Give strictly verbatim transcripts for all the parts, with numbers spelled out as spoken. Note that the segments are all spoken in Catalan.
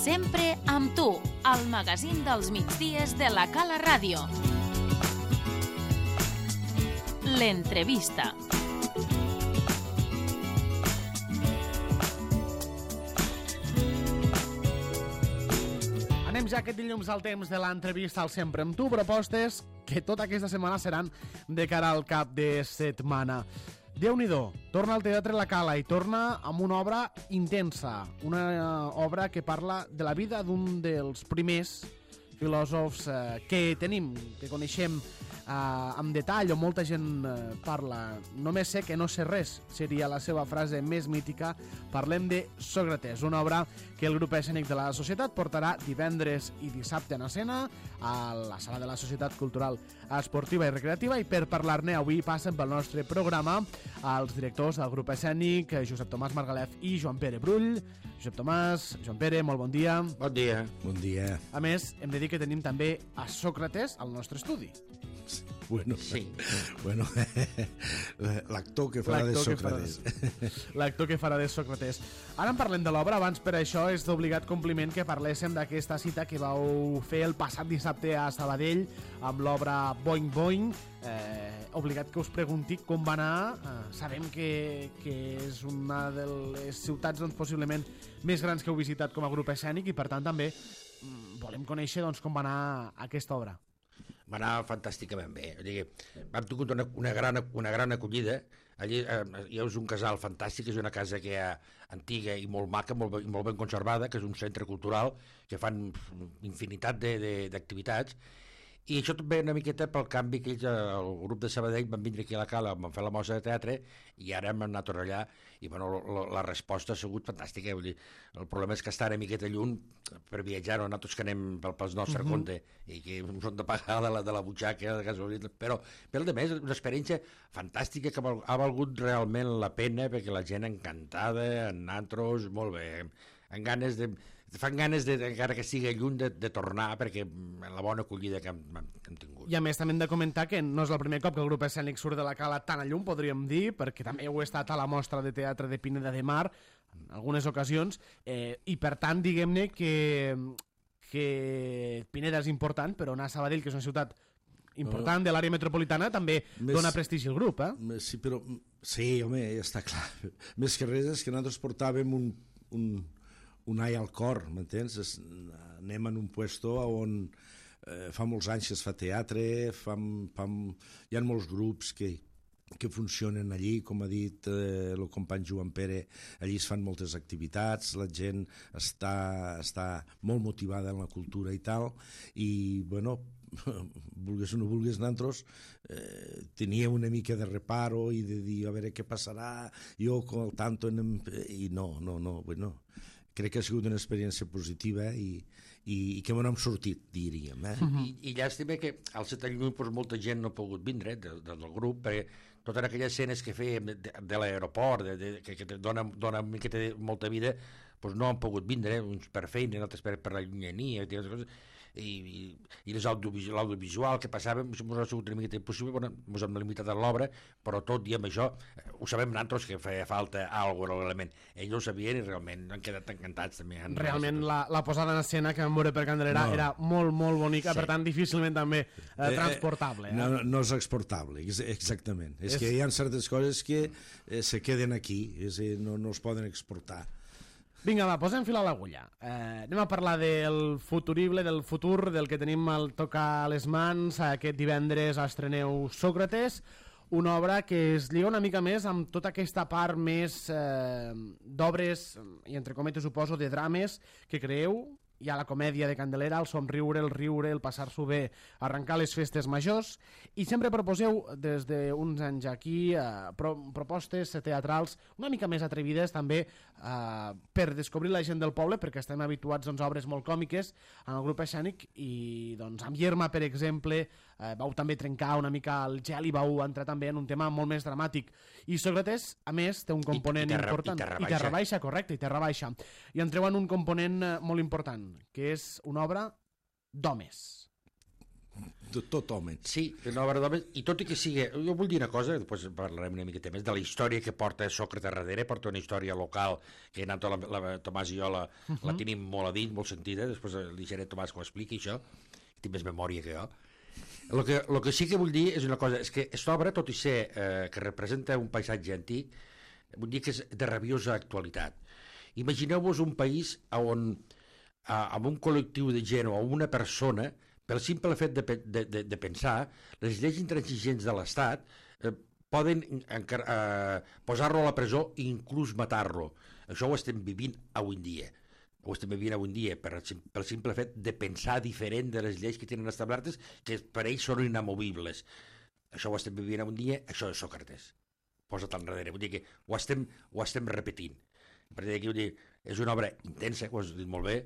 Sempre amb tu, al magazín dels migdies de la Cala Ràdio. L'entrevista. Anem ja aquest dilluns al temps de l'entrevista al Sempre amb tu, propostes que tota aquesta setmana seran de cara al cap de setmana. Déu-n'hi-do, torna al Teatre La Cala i torna amb una obra intensa, una obra que parla de la vida d'un dels primers filòsofs eh, que tenim, que coneixem eh, amb detall, on molta gent eh, parla. Només sé que no sé res, seria la seva frase més mítica. Parlem de Sòcrates, una obra que el grup escènic de la Societat portarà divendres i dissabte en escena a la Sala de la Societat Cultural Esportiva i Recreativa, i per parlar-ne avui passen pel nostre programa els directors del grup escènic, Josep Tomàs Margalef i Joan Pere Brull. Josep Tomàs, Joan Pere, molt bon dia. Bon dia. Bon dia. A més, hem de dir que tenim també a Sòcrates al nostre estudi. Bueno, sí. Bueno, l'actor que farà de Sòcrates. L'actor que farà de Sòcrates. Ara en parlem de l'obra, abans per això és d'obligat compliment que parléssim d'aquesta cita que vau fer el passat dissabte a Sabadell amb l'obra Boing Boing. Eh, obligat que us pregunti com va anar. Eh, sabem que, que és una de les ciutats doncs, possiblement més grans que heu visitat com a grup escènic, i per tant també mm, volem conèixer doncs, com va anar aquesta obra. Va anar fantàsticament bé. O sigui, vam tingut una, una, gran, una gran acollida. Allí eh, hi ha un casal fantàstic, és una casa que hi ha antiga i molt maca, molt, molt ben conservada, que és un centre cultural que fan infinitat d'activitats. I això també una miqueta pel canvi que ells, el grup de Sabadell, van vindre aquí a la Cala, van fer la mostra de teatre, i ara hem anat allà, i bueno, la, la resposta ha sigut fantàstica. Vull dir, el problema és que estar una miqueta lluny per viatjar, no? Nosaltres que anem pel, pel nostre uh-huh. compte, i que ens hem de pagar de la, de la butxaca, de gasolina, però per el de més, una experiència fantàstica que ha valgut realment la pena, perquè la gent encantada, en nosaltres, molt bé, amb ganes de... fan ganes, de, encara que sigui lluny, de, de tornar, perquè la bona acollida que hem, que hem tingut. I a més també hem de comentar que no és el primer cop que el grup escènic surt de la Cala tan a llum, podríem dir, perquè també heu estat a la mostra de teatre de Pineda de Mar en algunes ocasions, eh, i per tant diguem-ne que, que Pineda és important, però anar a Sabadell, que és una ciutat important de l'àrea metropolitana, també més, dona prestigi al grup, eh? Més, sí, però, sí, home, ja està clar. Més que res és que nosaltres portàvem un... un un ai al cor, m'entens? Anem en un puesto on eh, fa molts anys que es fa teatre, fa, fa, hi ha molts grups que, que funcionen allí, com ha dit eh, el company Joan Pere, allí es fan moltes activitats, la gent està, està molt motivada en la cultura i tal, i bueno, vulgues o no vulgues, nosaltres eh, tenia una mica de reparo i de dir a veure què passarà, jo al tanto, en, i no, no, no, bueno... crec que ha sigut una experiència positiva i, i, i que m'ho hem sortit, diríem. Eh? Uh-huh. I, I llàstima que al ser tan lluny doncs, molta gent no ha pogut vindre de, de, del grup, perquè totes aquelles escenes que fèiem de, de l'aeroport, de, de, que, que dona, dona que té molta vida, doncs no han pogut vindre, uns per feina, altres per, per la llunyania, i coses, i, i, i l'audiovisual que passàvem ens ha sigut una miqueta impossible, bueno, ens hem limitat a l'obra, però tot i amb això ho sabem nosaltres que feia falta alguna cosa, l'element. Ells ho sabien i realment han quedat encantats també. Realment la, la posada en escena que vam veure per Candelera no. era molt, molt bonica, sí. Per tant difícilment també eh, transportable. Eh? No, no és exportable, exactament. És, és que hi ha certes coses que eh, se queden aquí, és dir, no, no es poden exportar. Vinga, va, posem fil a l'agulla. Eh, anem a parlar del futurible, del futur, del que tenim al tocar a les mans. Aquest divendres estreneu Sòcrates, una obra que es lliga una mica més amb tota aquesta part més eh, d'obres, i entre cometes suposo, de drames que creeu. Hi ha la comèdia de Candelera, el somriure, el riure, el passar-s'ho bé, arrencar les festes majors, i sempre proposeu des d'uns anys aquí eh, pro propostes teatrals una mica més atrevides també eh, per descobrir la gent del poble, perquè estem habituats doncs, a obres molt còmiques en el grup escènic, i doncs amb Yerma, per exemple, eh, vau també trencar una mica el gel i vau entrar també en un tema molt més dramàtic. I Sòcrates, a més, té un component I, i terra, important. I terra baixa. I terra baixa, correcte, i terra baixa. I entreu en un component eh, molt important, que és una obra d'homes. totalment. Sí, una obra d'homes, i tot i que sigui... Jo vull dir una cosa, després parlarem una miqueta més, de la història que porta Sòcrates darrere, porta una història local, que en la, la, Tomàs i jo la, uh -huh. la tenim molt a dins, molt sentida, després li deixaré a Tomàs que ho expliqui, això, tinc més memòria que jo. El que, el que sí que vull dir és una cosa, és que aquesta obra, tot i ser eh, que representa un paisatge antic, vull dir que és de rabiosa actualitat. Imagineu-vos un país on, a, amb un col·lectiu de gent o una persona, pel simple fet de, de, de, de pensar, les lleis intransigents de l'Estat eh, poden eh, posar-lo a la presó i inclús matar-lo. Això ho estem vivint avui en dia. Ho estem vivint avui en dia per, pel simple fet de pensar diferent de les lleis que tenen establertes, que per ells són inamovibles. Això ho estem vivint avui en dia, això és Sòcrates. Posa't enrere. Vull dir que ho estem, ho estem repetint. Per dir que vull dir, és una obra intensa, ho has dit molt bé,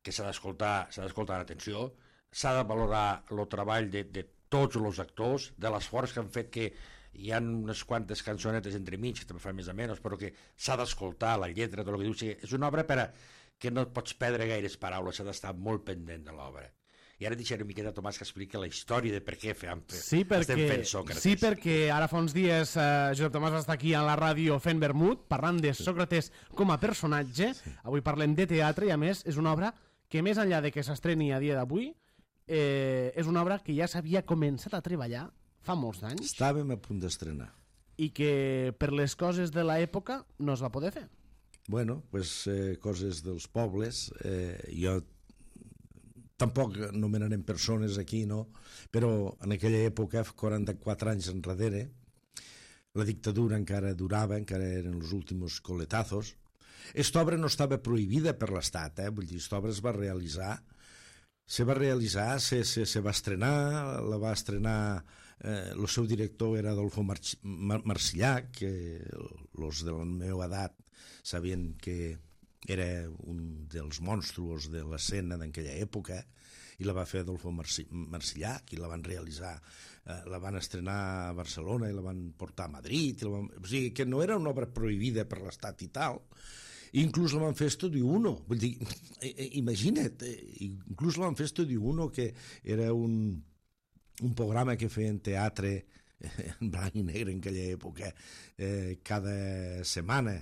que s'ha d'escoltar, s'ha d'escoltar amb atenció, s'ha de valorar el treball de, de tots els actors, de l'esforç que han fet, que hi ha unes quantes cançonetes entremig, que també fan més o menys, però que s'ha d'escoltar la lletra, tot el que diu. O sigui, és una obra per a que no pots perdre gaires paraules, s'ha d'estar molt pendent de l'obra. I ara deixaré una miqueta a Tomàs que expliqui la història de per què fem, sí, perquè, estem fent Sòcrates. Sí, perquè ara fa uns dies eh, Josep Tomàs va estar aquí a la ràdio fent vermut, parlant de Sòcrates com a personatge. Sí. Avui parlem de teatre i, a més, és una obra que, més enllà de que s'estreni a dia d'avui, eh, és una obra que ja s'havia començat a treballar fa molts anys. Estàvem a punt d'estrenar. I que, per les coses de l'època, no es va poder fer. Bueno, pues, eh, coses dels pobles. Eh, jo tampoc nomenarem persones aquí, no? Però en aquella època, quaranta-quatre anys enrere, la dictadura encara durava, encara eren els últims coletazos. Esta obra no estava prohibida per l'Estat, eh? Vull dir, esta obra es va realitzar, se va realitzar, se, se, se va estrenar, la va estrenar, eh, el seu director era Adolfo March Mar Marcillac, que els de la meva edat sabien que era un dels monstruos de l'escena d'aquella època, i la va fer Adolfo Marcillac, i la van realitzar, eh, la van estrenar a Barcelona i la van portar a Madrid, i la van... o sigui, que no era una obra prohibida per l'Estat i tal. Inclús la van fer Estudi uno, vull dir, imagina't, inclús la van fer Estudi uno, que era un, un programa que feien teatre en blanc i negre en aquella època, eh, cada setmana.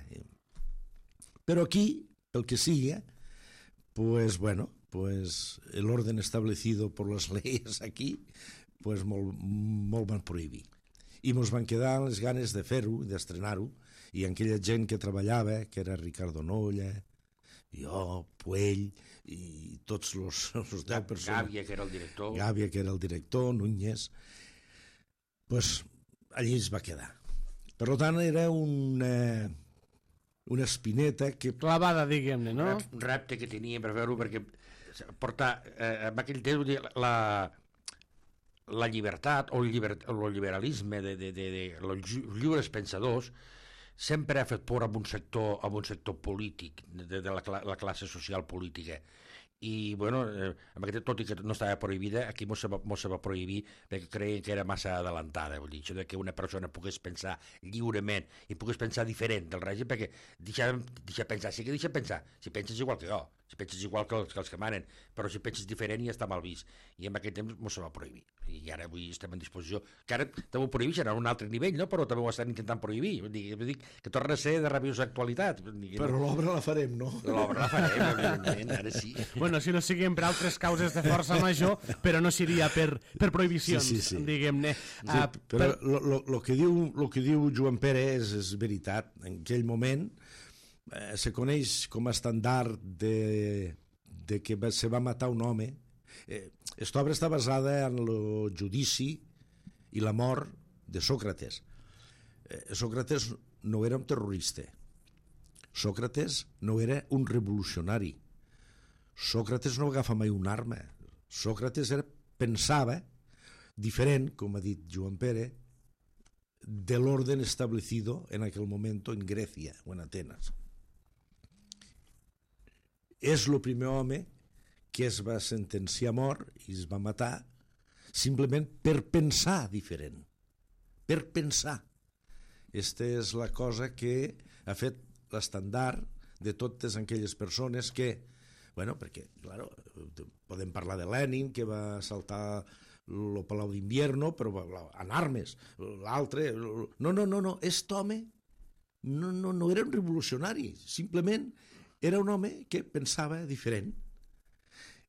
Però aquí, pel que siga, pues bueno, pues el orden establecido por las leyes aquí, pues molt, molt van prohibir. I mos van quedar les ganes de fer-ho, d'estrenar-ho, i aquella gent que treballava, que era Ricardo Nolla, jo, Puell, i tots els, els deu persones... Gàbia, que era el director. Gàbia, que era el director, Núñez, pues allí es va quedar. Per tant, era una, una espineta que... Clavada, diguem-ne, no? Un repte que tenia per fer-ho, perquè portar, eh, en aquell temps, la, la llibertat o el, lliber, el liberalisme de, de, de, de, de els lliures pensadors sempre ha fet por a un sector, a un sector polític, de, de la, la classe social política. I, bueno, eh, tot i que no estava prohibida, aquí mos se va, mos se va prohibir perquè creien que era massa adelantada, vull dir, això de que una persona pogués pensar lliurement i pogués pensar diferent del règim, perquè deixa, deixa pensar, sí que deixa pensar, si penses igual que jo, si penses igual que els que, els que manen, però si penses diferent ja està mal vist, i en aquell temps mos se va prohibir, i ara avui estem en disposició, que ara també ho prohibeixen a un altre nivell, no? Però també ho estan intentant prohibir, vull dir, vull dir que torna a ser de rabiosa actualitat. Dir, però no? L'obra la farem, no? L'obra la farem, evidentment, ara sí. Bueno, si no siguin per altres causes de força major, però no seria per, per prohibicions, sí, sí, sí. diguem-ne. Sí, uh, però el per... lo que diu, lo que diu Joan Pere és, és veritat. En aquell moment eh, se coneix com a estàndard de, de que se va matar un home. Aquesta eh, obra està basada en el judici i la mort de Sòcrates. Eh, Sòcrates no era un terrorista. Sòcrates no era un revolucionari. Sòcrates no agafa mai una arma. Sòcrates era, pensava diferent, com ha dit Joan Pere, de l'orden establecido en aquel momento en Grècia o en Atenes. És el primer home que es va sentenciar a mort i es va matar simplement per pensar diferent. Per pensar. Aquesta és la cosa que ha fet l'estàndard de totes aquelles persones que, bueno, perquè, claro, podem parlar de Lenin, que va saltar el Palau d'Invierno, però en armes, l'altre... No, no, no, no, aquest home no, no, no era un revolucionari, simplement era un home que pensava diferent.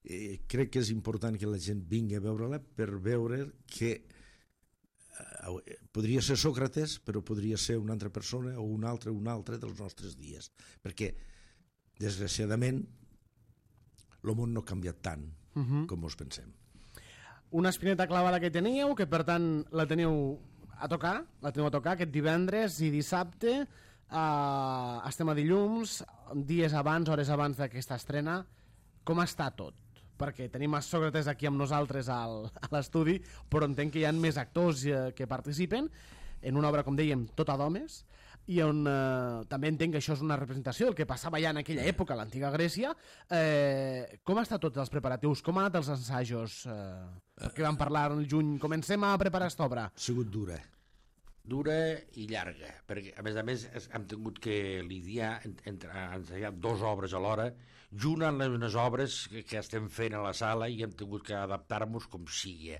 Eh, crec que és important que la gent vingui a veure-la per veure que eh, podria ser Sòcrates, però podria ser una altra persona o un altre, un altre dels nostres dies, perquè desgraciadament el món no ha canviat tant uh-huh. com us pensem. Una espineta clavada que teníeu, que per tant la teniu a tocar, la teniu a tocar aquest divendres i dissabte. Uh, estem a dilluns, dies abans, hores abans d'aquesta estrena. Com està tot? Perquè tenim a Sòcrates aquí amb nosaltres al, a l'estudi, però entenc que hi ha més actors eh, que participen en una obra, com dèiem, tota d'homes, i on eh, també entenc que això és una representació del que passava ja en aquella època a l'antiga Grècia. Eh, com han estat tots els preparatius? Com han anat els assajos? Eh, que vam parlar en el juny. Comencem a preparar aquesta obra. Ha sigut dura. Dura i llarga, perquè a més a més hem tingut que lidiar entre ensaiar dues obres alhora, junt amb les obres que, que estem fent a la sala, i hem tingut que adaptar-nos com sigui,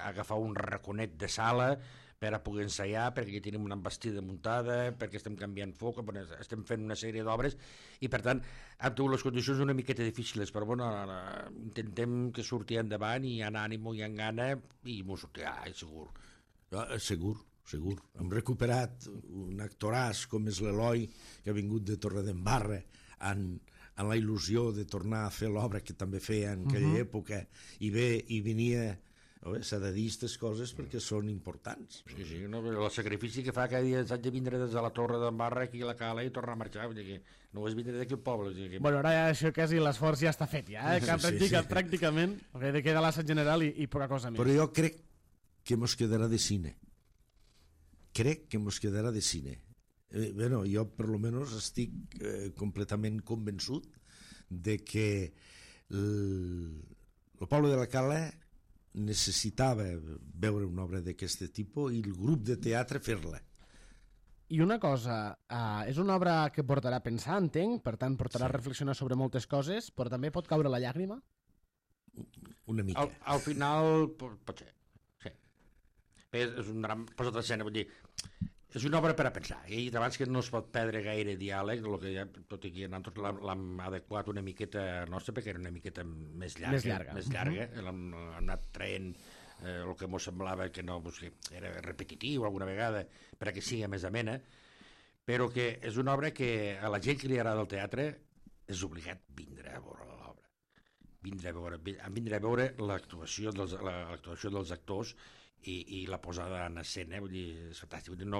agafar un raconet de sala per a poder ensaiar, perquè aquí tenim una embestida muntada, perquè estem canviant foc, estem fent una sèrie d'obres, i per tant hem tingut les condicions una miqueta difícils, però bueno, intentem que surti endavant, i hi ha ànimo, hi ha gana, i m'ho sortirà, segur. Ah, segur, segur. Hem recuperat un actoràs com és l'Eloi, que ha vingut de Torredembarra, en, en la il·lusió de tornar a fer l'obra que també feia en aquella uh-huh. època, i bé, i venia... S'ha de dir aquestes coses perquè són importants. Sí, sí, no, el sacrifici que fa cada dia s'ha de vindre des de la Torre d'en Barra aquí a la Cala i tornar a marxar, vull dir que no és vindre d'aquí al poble. Vull dir que... Bueno, ara ja això quasi l'esforç ja està fet, ja, eh? que sí, practica, sí. pràcticament, okay, queda l'assaig general i, i poca cosa més. Però jo crec que mos quedarà de cine. Crec que mos quedarà de cine. Eh, bueno, jo per lo menos estic eh, completament convençut de que el, el poble de la Cala necessitava veure una obra d'aquest tipus i el grup de teatre fer-la. I una cosa, uh, és una obra que portarà a pensar, entenc, per tant portarà sí. a reflexionar sobre moltes coses, però també pot caure la llàgrima? Una mica. Al, al final pot ser, sí. És, és un drama posat a escena, vull dir, és una obra per a pensar, i abans que no es pot perdre gaire diàleg, que ja, tot i que nosaltres l'hem adequat una miqueta nostra, perquè era una miqueta més llarga, més llarga, més llarga. Uh-huh. l'hem, l'hem anat traient eh, el que ens semblava que no, pues, que era repetitiu alguna vegada, perquè sigui més amena, però que és una obra que a la gent que li agrada el teatre és obligat vindre a veure l'obra, vindre a veure, vindre a veure l'actuació dels, l'actuació dels actors, I, i la posada en escena, vull dir, és fantàstic. Vull dir, no,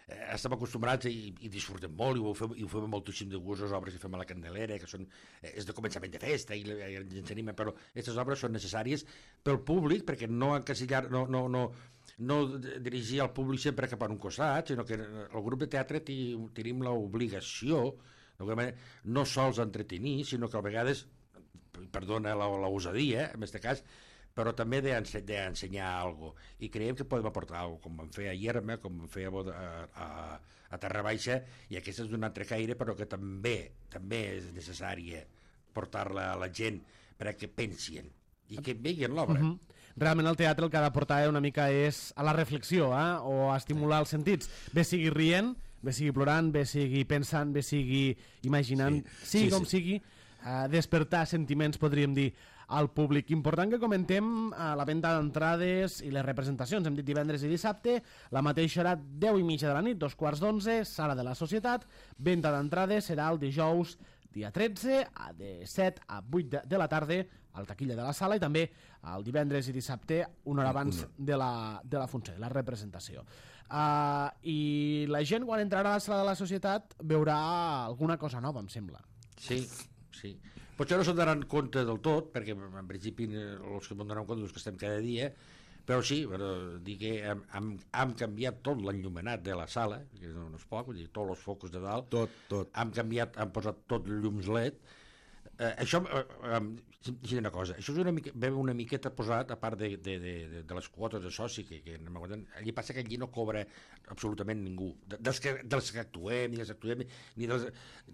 eh, estem acostumbrats i, i disfrutem molt, i ho fem, i ho fem moltíssim de gust, les obres que fem a la Candelera, que són, eh, és de començament de festa, i, i ens anima, però aquestes obres són necessàries pel públic, perquè no encasillar, no, no, no, no dirigir el públic sempre cap a un costat, sinó que el grup de teatre tenim l'obligació, no sols entretenir, sinó que a vegades, perdona l'osadia, en aquest cas, però també d'ensenyar alguna cosa. I creiem que podem aportar alguna cosa, com vam fer a Ierma, com vam fer a, a, a Terra Baixa, i aquesta és d'un altre caire, però que també també és necessària portar-la a la gent perquè pensin i que veguin l'obra. Uh-huh. Realment el teatre el que ha d'aportar una mica és a la reflexió, eh? O a estimular els sentits. Bé sigui rient, bé sigui plorant, bé sigui pensant, bé sigui imaginant, sí, sigui sí, com sí. sigui, eh, despertar sentiments, podríem dir, al públic. Important que comentem eh, la venda d'entrades i les representacions. Hem dit divendres i dissabte, la mateixa serà deu i mitja de la nit, dos quarts d'onze, sala de la Societat. Venda d'entrades serà el dijous, dia tretze, de set a vuit de, de la tarda, al taquilla de la sala, i també el divendres i dissabte, una hora abans de la, de la funció, la representació. Uh, I la gent, quan entrarà a la sala de la Societat, veurà alguna cosa nova, em sembla. Sí, sí. Potser no se'n donaran compte del tot, perquè en principi els que m'ho donen compte els que estem cada dia, però sí, però dir que hem, hem, hem canviat tot l'enllumenat de la sala, que no, no és poc, vull dir, tots els focus de dalt, tot, tot. Hem canviat, hem posat tot llums L E D. Eh, això, eh, sí, una cosa, això és una, mica, una miqueta posat, a part de, de, de, de les quotes de soci, que, que allí passa que allí no cobra absolutament ningú, dels que, dels que actuem, ni dels que actuem, ni, dels,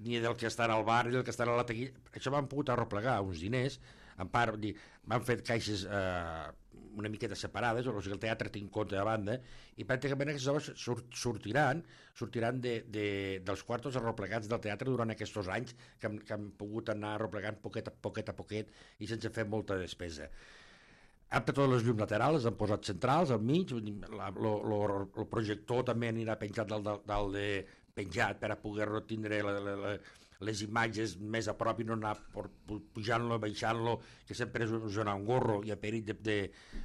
ni del que estan al bar, ni del que estan a la taquilla. Això vam pogut arreplegar uns diners, en part, dir, van fer caixes eh, una miqueta separades, o sigui, el teatre té en compte de banda, i pràcticament aquestes obres surt, sortiran sortiran de, de, dels quartos arreplegats del teatre durant aquests anys que, que han pogut anar arreplegant poquet a poquet a poquet i sense fer molta despesa. Han tret totes les llums laterals, les han posat centrals, al mig, el projector també anirà penjat dalt, dalt, dalt de penjat per a poder tindre la, la, la, les imatges més a prop i no anar pujant-lo, baixant-lo, que sempre és un engorro i a perill de, de,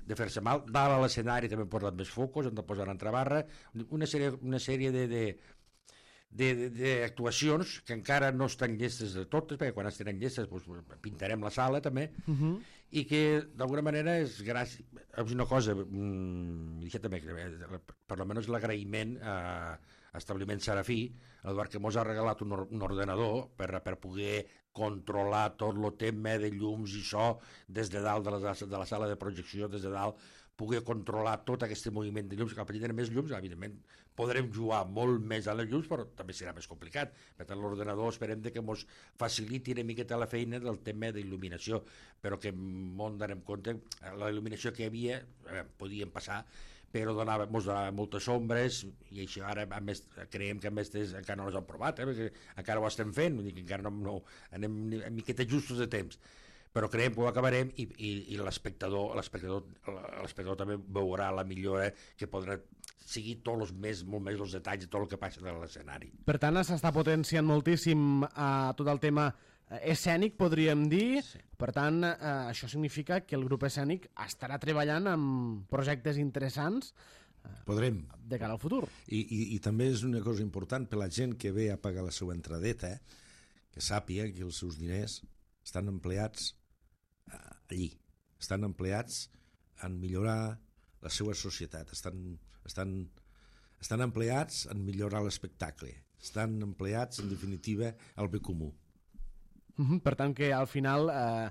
de fer-se mal. Dalt a l'escenari també han posat més focus, han de posar entrebarra, una sèrie, una sèrie de, de, d'actuacions que encara no estan llestes de totes, perquè quan estaran llestes doncs, pintarem la sala també, uh-huh. i que d'alguna manera és gràcies, és una cosa, mmm, també, per almenys l'agraïment a Establiment Serafí, Eduard, que mos ha regalat un, or un ordenador per, per poder controlar tot el tema de llums i so des de dalt de la, de la sala de projecció, des de dalt, poder controlar tot aquest moviment de llums, que al tenir més llums, evidentment, podrem jugar molt més a les llums, però també serà més complicat. Per tant, l'ordenador esperem que ens faciliti una miqueta la feina del tema d'il·luminació, però que molt donem compte, la il·luminació que hi havia, eh, podíem passar, però donava, mos donava moltes ombres, i això ara a més, creiem que a més encara no les han provat, eh, perquè encara ho estem fent, vull dir que encara no, no anem a miqueta justos de temps, però creiem que ho acabarem i, i, i l'espectador l'espectador també veurà la millora que podrà seguir tots els més, molt més els detalls de tot el que passa de l'escenari. Per tant, s'està potenciant moltíssim eh, tot el tema escènic, podríem dir. Sí. Per tant, eh, això significa que el grup escènic estarà treballant amb projectes interessants eh, Podrem. de cara al futur. I, i, I també és una cosa important per la gent que ve a pagar la seva entradeta, eh, que sàpiga que els seus diners estan empleats eh, allí, estan empleats en millorar la seva societat, estan, estan, estan empleats en millorar l'espectacle, estan empleats, en definitiva, al bé comú. Uh-huh. Per tant, que al final eh,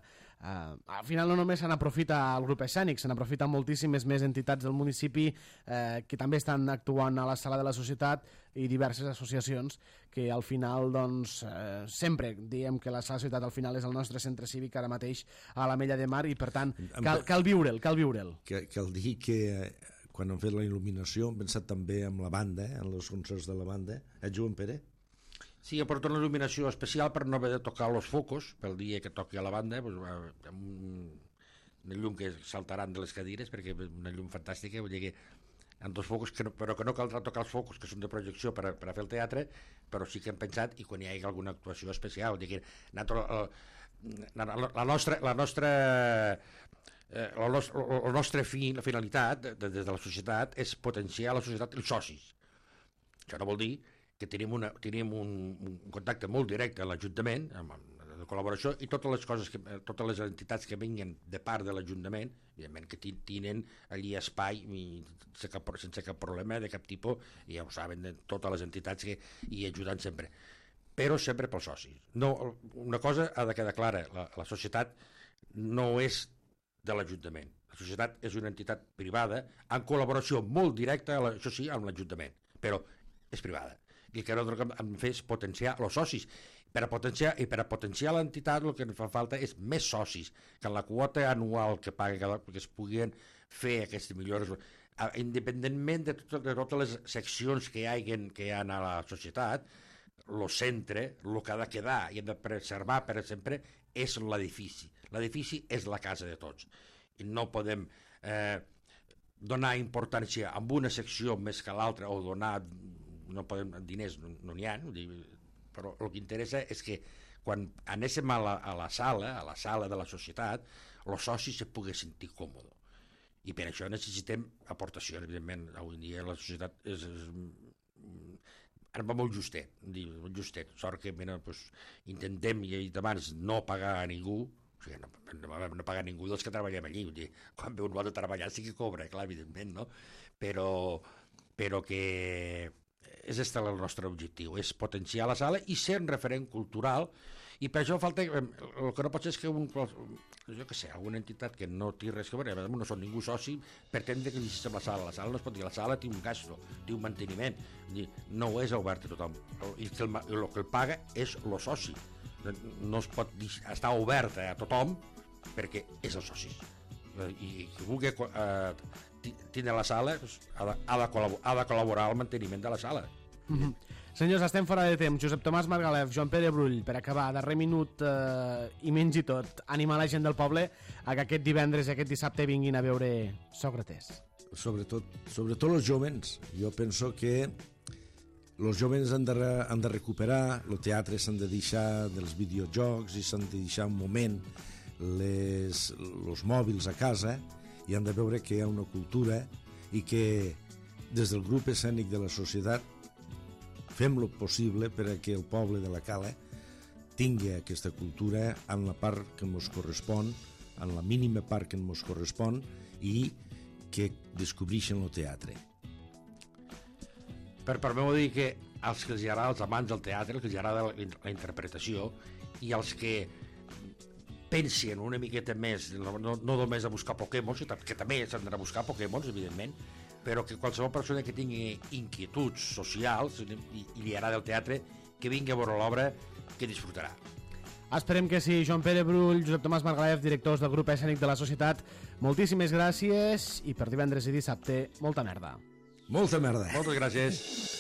eh, al final no només se n'aprofita el grup escènic, se n'aprofita moltíssimes més entitats del municipi eh, que també estan actuant a la Sala de la Societat i diverses associacions que al final, doncs, eh, sempre diem que la Sala de la Societat al final és el nostre centre cívic ara mateix a l'Ametlla de Mar i per tant cal, cal viure'l, cal viure'l. Que, cal dir que eh, quan han fet la il·luminació han pensat també amb la banda, eh, en els concerts de la banda, eh, Joan Pere? Sí, ha portat una il·luminació especial per no haver de tocar els focus pel dia que toqui a la banda, doncs, amb una llum que saltaran de les cadires, perquè és una llum fantàstica, vull dir que amb dos focus, que no, però que no caldrà tocar els focus, que són de projecció per a, per a fer el teatre, però sí que hem pensat, i quan hi hagi alguna actuació especial, vull dir que la, la, la nostra... La nostra Eh, la, nostra, la nostra fi, la finalitat de, de, des de la societat és potenciar la societat i els socis. Això no vol dir que tenim, una, tenim un, un contacte molt directe amb l'Ajuntament, amb, amb de col·laboració, i totes les coses, que, totes les entitats que vinguen de part de l'Ajuntament, evidentment que tenen allí espai i sense cap, sense cap problema de cap tipus, i ja ho saben de totes les entitats que hi ajuden sempre. Però sempre pels socis. No, una cosa ha de quedar clara, la, la societat no és de l'Ajuntament. La societat és una entitat privada en col·laboració molt directa, això sí, amb l'Ajuntament, però és privada. I el que nosaltres hem de fer és potenciar els socis. Per a potenciar, I per a potenciar l'entitat el que ens fa falta és més socis, que en la quota anual que paga cada que es puguin fer aquestes millores, independentment de, tot, de totes les seccions que hi ha, que hi ha a la societat, el centre, el que ha de quedar i hem de preservar per sempre és l'edifici. L'edifici és la casa de tots. I no podem eh, donar importància a una secció més que a l'altra o donar, no podem, diners no n'hi ha, però el que interessa és que quan anéssim a la, a la sala, a la sala de la societat, els socis se pugui sentir còmode. I per això necessitem aportacions, evidentment. Avui en dia la societat és... és ara va molt justet, molt justet. Sort que mira, doncs, intentem, i he dit abans, no pagar a ningú, o sigui, no, no, no pagar a ningú dels que treballem allí. Vull dir, quan ve un vol de treballar sí que cobra, clar, evidentment, no? Però, però que és este el nostre objectiu, és potenciar la sala i ser un referent cultural, i per això falta, el que no pot ser és que un, jo què sé, alguna entitat que no té res que veure, no són ningú soci, pretendre que llegeixi la sala. La sala no es pot dir, la sala té un gasto, té un manteniment, no és obert a tothom, i que el, el que el paga és el soci. No es pot dir, estar obert a tothom perquè és el soci. i qui vulgui eh, tindre la sala ha de, ha, de ha de col·laborar al manteniment de la sala. Mm-hmm. Senyors, estem fora de temps. Josep Tomàs Margalef, Joan Pere Brull, per acabar, darrer minut eh, i menys i tot, animar la gent del poble a que aquest divendres i aquest dissabte vinguin a veure Sòcrates. Sobretot, sobretot els jóvens. Jo penso que els jóvens han de, han de recuperar, el teatre s'han de deixar dels videojocs i s'han de deixar un moment les, els mòbils a casa i han de veure que hi ha una cultura i que des del grup escènic de la societat fem el possible perquè el poble de la Cala tingui aquesta cultura en la part que ens correspon, en la mínima part que ens correspon i que descobreixen el teatre. Per part meu dir que els que els agrada, els amants del teatre, els que els agrada la, la interpretació i els que pensen una miqueta més, no, no només a buscar Pokémons, que també s'han d'anar a buscar Pokémons, evidentment, però que qualsevol persona que tingui inquietuds socials i, i li agrada el teatre, que vingui a veure l'obra, que disfrutarà. Esperem que sí. Joan Pere Brull, Josep Tomàs Margalef, directors del grup escènic de la Societat, moltíssimes gràcies i per divendres i dissabte, molta merda. Molta merda. Moltes gràcies.